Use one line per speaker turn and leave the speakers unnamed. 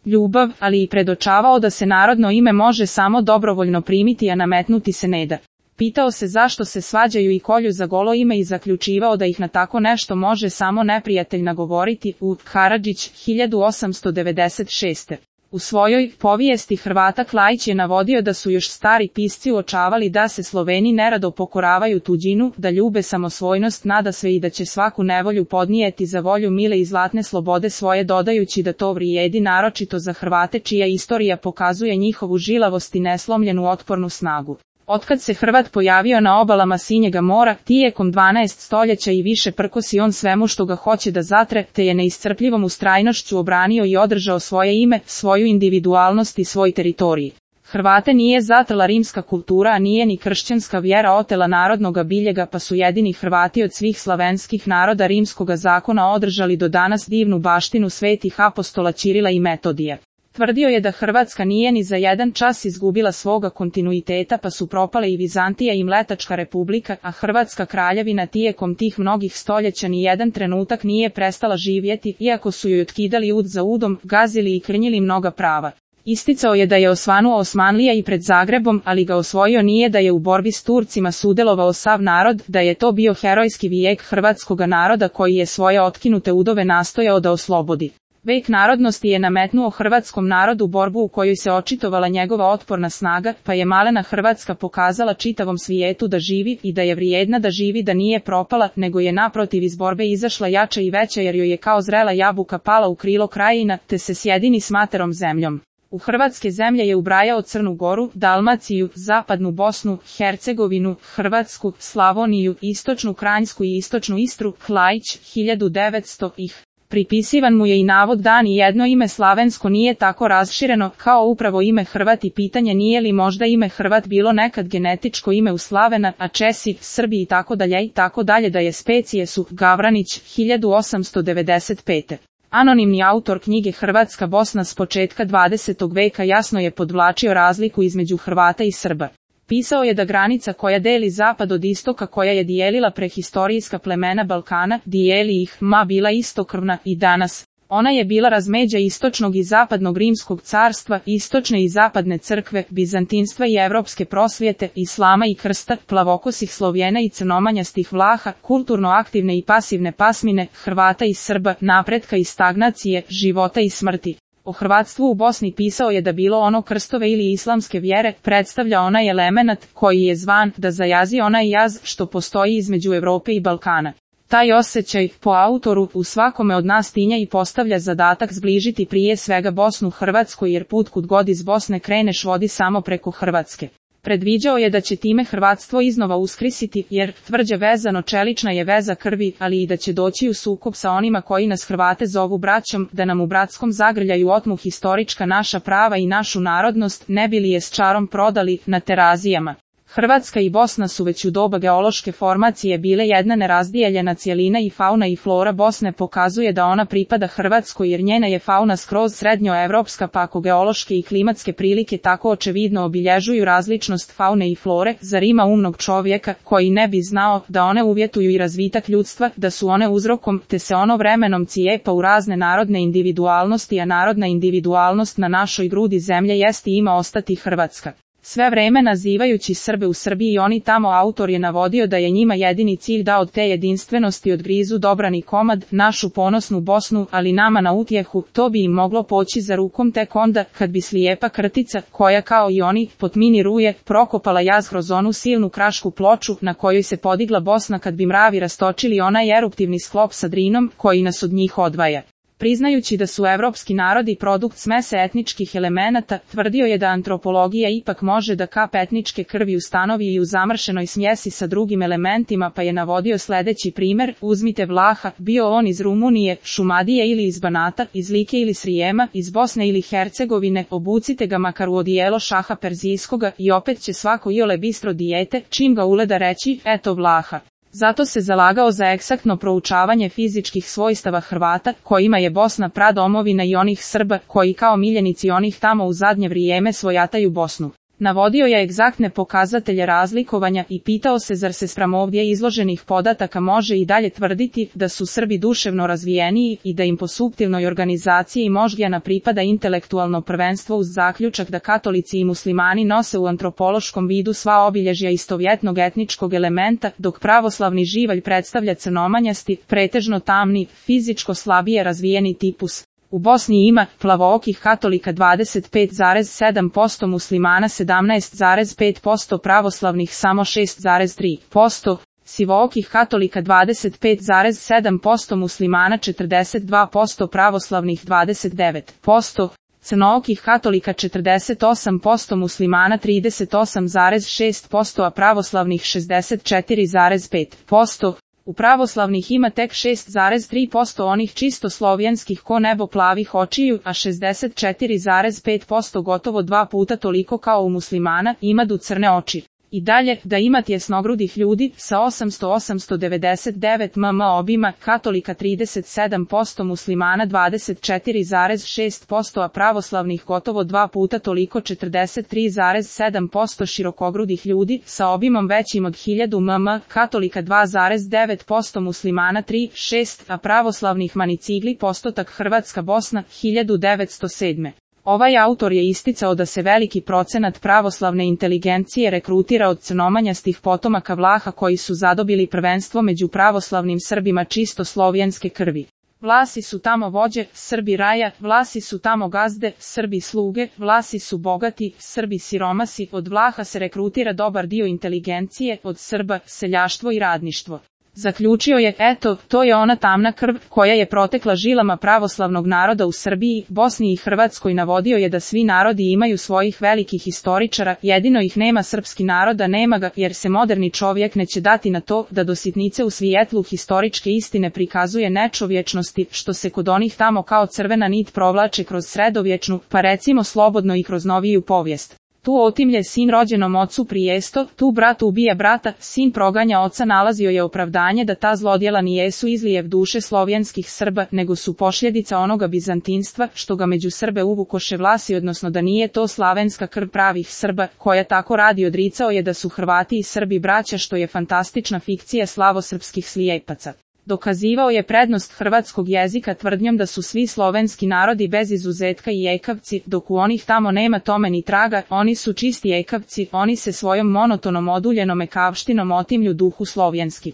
ljubav, ali i predočavao da se narodno ime može samo dobrovoljno primiti, a nametnuti se ne da. Pitao se zašto se svađaju i kolju za golo ime i zaključivao da ih na tako nešto može samo neprijatelj nagovoriti. Karadžić, 1896. U svojoj povijesti Hrvata Klaić je navodio da su još stari pisci uočavali da se Sloveni nerado pokoravaju tuđinu, da ljube samosvojnost nadasve i da će svaku nevolju podnijeti za volju mile i zlatne slobode svoje, dodajući da to vrijedi naročito za Hrvate čija istorija pokazuje njihovu žilavost i neslomljenu otpornu snagu. Otkad se Hrvat pojavio na obalama Sinjega mora, tijekom 12 stoljeća i više prkosi on svemu što ga hoće da zatre, te je neiscrpljivom ustrajnošću obranio i održao svoje ime, svoju individualnost i svoj teritorij. Hrvate nije zatrla rimska kultura, a nije ni kršćanska vjera otela narodnoga biljega, pa su jedini Hrvati od svih slavenskih naroda rimskoga zakona održali do danas divnu baštinu svetih apostola Ćirila i Metodija. Tvrdio je da Hrvatska nije ni za jedan čas izgubila svoga kontinuiteta, pa su propale i Vizantija i Mletačka republika, a Hrvatska kraljevina tijekom tih mnogih stoljeća ni jedan trenutak nije prestala živjeti, iako su joj otkidali ud za udom, gazili i krnjili mnoga prava. Isticao je da je osvanuo Osmanlija i pred Zagrebom, ali ga osvojio nije, da je u borbi s Turcima sudjelovao sav narod, da je to bio herojski vijek hrvatskoga naroda koji je svoje otkinute udove nastojao da oslobodi. Vek narodnosti je nametnuo hrvatskom narodu borbu u kojoj se očitovala njegova otporna snaga, pa je malena Hrvatska pokazala čitavom svijetu da živi i da je vrijedna da živi, da nije propala, nego je naprotiv iz borbe izašla jača i veća, jer joj je kao zrela jabuka pala u krilo krajina, te se sjedini s materom zemljom. U hrvatske zemlje je ubrajao Crnu Goru, Dalmaciju, Zapadnu Bosnu, Hercegovinu, Hrvatsku, Slavoniju, Istočnu Kranjsku i Istočnu Istru. Klaić, 1900 ih. Pripisivan mu je i navod da ni jedno ime slavensko nije tako rašireno kao upravo ime Hrvat i pitanje nije li možda ime Hrvat bilo nekad genetičko ime u Slavena, a Česi, Srbi i tako dalje, da je specije su. Gavranić, 1895. Anonimni autor knjige Hrvatska Bosna s početka 20. veka jasno je podvlačio razliku između Hrvata i Srba. Pisao je da granica koja deli zapad od istoka, koja je dijelila prehistorijska plemena Balkana, dijeli ih, bila istokrvna i danas. Ona je bila razmeđa istočnog i zapadnog rimskog carstva, istočne i zapadne crkve, bizantinstva i evropske prosvjete, islama i krsta, plavokosih Slovjena i crnomanjastih Vlaha, kulturno aktivne i pasivne pasmine, Hrvata i Srba, napretka i stagnacije, života i smrti. O hrvatstvu u Bosni pisao je da bilo ono krstove ili islamske vjere, predstavlja onaj elemenat koji je zvan da zajazi onaj jaz što postoji između Europe i Balkana. Taj osjećaj, po autoru, u svakome od nas tinja i postavlja zadatak zbližiti prije svega Bosnu Hrvatskoj, jer put kud god iz Bosne kreneš vodi samo preko Hrvatske. Predviđao je da će time hrvatstvo iznova uskrisiti, jer tvrđe vezano čelična je veza krvi, ali i da će doći u sukob sa onima koji nas Hrvate zovu braćom, da nam u bratskom zagrljaju otmu historička naša prava i našu narodnost, ne bi li je s čarom prodali na terazijama. Hrvatska i Bosna su već u doba geološke formacije bile jedna nerazdijeljena cjelina i fauna i flora Bosne pokazuje da ona pripada Hrvatskoj, jer njena je fauna skroz srednjoevropska, pa ako geološke i klimatske prilike tako očevidno obilježuju različnost faune i flore, zar ima umnog čovjeka koji ne bi znao da one uvjetuju i razvitak ljudstva, da su one uzrokom, te se ono vremenom cijepa u razne narodne individualnosti, a narodna individualnost na našoj grudi zemlje jest i ima ostati Hrvatska. Sve vreme nazivajući Srbe u Srbiji oni tamo, autor je navodio da je njima jedini cilj da od te jedinstvenosti odgrizu dobrani komad, našu ponosnu Bosnu, ali nama na utjehu, to bi im moglo poći za rukom tek onda, kad bi slijepa krtica, koja kao i oni, potminiruje, prokopala jaz kroz onu silnu krašku ploču, na kojoj se podigla Bosna, kad bi mravi rastočili onaj eruptivni sklop sa Drinom, koji nas od njih odvaja. Priznajući da su evropski narodi produkt smese etničkih elemenata, tvrdio je da antropologija ipak može da kap etničke krvi ustanovi i u zamršenoj smjesi sa drugim elementima, pa je navodio sljedeći primjer: uzmite Vlaha, bio on iz Rumunije, Šumadije ili iz Banata, iz Like ili Srijema, iz Bosne ili Hercegovine, obucite ga makar u odijelo šaha perzijskoga i opet će svako iole bistro dijete, čim ga uleda reći, eto Vlaha. Zato se zalagao za egzaktno proučavanje fizičkih svojstava Hrvata, kojima je Bosna pradomovina, i onih Srba, koji kao miljenici onih tamo u zadnje vrijeme svojataju Bosnu. Navodio je egzaktne pokazatelje razlikovanja i pitao se zar se spram ovdje izloženih podataka može i dalje tvrditi da su Srbi duševno razvijeniji i da im po suptilnoj organizaciji moždijana pripada intelektualno prvenstvo uz zaključak da katolici i muslimani nose u antropološkom vidu sva obilježja istovjetnog etničkog elementa, dok pravoslavni živalj predstavlja crnomanjasti, pretežno tamni, fizičko slabije razvijeni tipus. U Bosni ima plavookih katolika 25,7%, muslimana 17,5%, pravoslavnih samo 6,3%, sivookih katolika 25,7%, muslimana 42%, pravoslavnih 29%, crnookih katolika 48%, muslimana 38,6%, a pravoslavnih 64,5%. U pravoslavnih ima tek 6,3% onih čisto slovenskih ko nebo plavih očiju, a 64,5%, gotovo 2 puta toliko kao u muslimana, imadu crne oči. I dalje, da ima tjesnogrudih ljudi, sa 899 mm obima, katolika 37%, muslimana 24,6%, a pravoslavnih gotovo 2 puta toliko 43,7% širokogrudih ljudi, sa obimom većim od 1000 mm, katolika 2,9%, muslimana 3,6%, a pravoslavnih manicigli postotak Hrvatska Bosna 1907. Ovaj autor je isticao da se veliki procenat pravoslavne inteligencije rekrutira od crnomanjastih potomaka Vlaha koji su zadobili prvenstvo među pravoslavnim Srbima čisto slovenske krvi. Vlasi su tamo vođe, Srbi raja, Vlasi su tamo gazde, Srbi sluge, Vlasi su bogati, Srbi siromasi, od Vlaha se rekrutira dobar dio inteligencije, od Srba seljaštvo i radništvo. Zaključio je, eto, to je ona tamna krv koja je protekla žilama pravoslavnog naroda u Srbiji, Bosni i Hrvatskoj. Navodio je da svi narodi imaju svojih velikih historičara, jedino ih nema srpski narod, a nema ga, jer se moderni čovjek neće dati na to da do sitnice u svijetlu historičke istine prikazuje nečovječnosti, što se kod onih tamo kao crvena nit provlače kroz sredovječnu, pa recimo slobodno i kroz noviju povijest. Tu otimlje sin rođenom ocu prijesto, tu brat ubija brata, sin proganja oca. Nalazio je opravdanje da ta zlodjela nijesu izlijev duše slovenskih Srba, nego su posljedica onoga bizantinstva, što ga među Srbe uvukoše Vlasi, odnosno da nije to slavenska krv pravih Srba, koja tako radi. Odricao je da su Hrvati i Srbi braća, što je fantastična fikcija slavosrpskih slijepaca. Dokazivao je prednost hrvatskog jezika tvrdnjom da su svi slovenski narodi bez izuzetka i ekavci, dok u onih tamo nema tome ni traga, oni su čisti ekavci, oni se svojom monotonom oduljenom ekavštinom otimlju duhu slovenski.